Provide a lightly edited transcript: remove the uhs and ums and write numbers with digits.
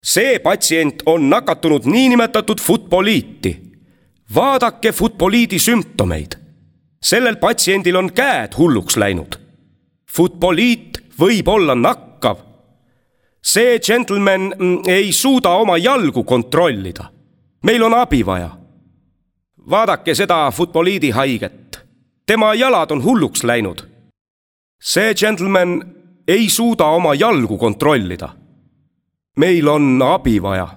See patsient on nakatunud niinimetatud futboliiti. Vaadake futboliidi sümptomeid. Sellel patsiendil on käed hulluks läinud. Futboliit võib olla nakkav. See gentleman ei suuda oma jalgu kontrollida. Meil on abi vaja. Vaadake seda futboliidi haiget. Tema jalad on hulluks läinud. See gentleman ei suuda oma jalgu kontrollida. Meil on abi vaja.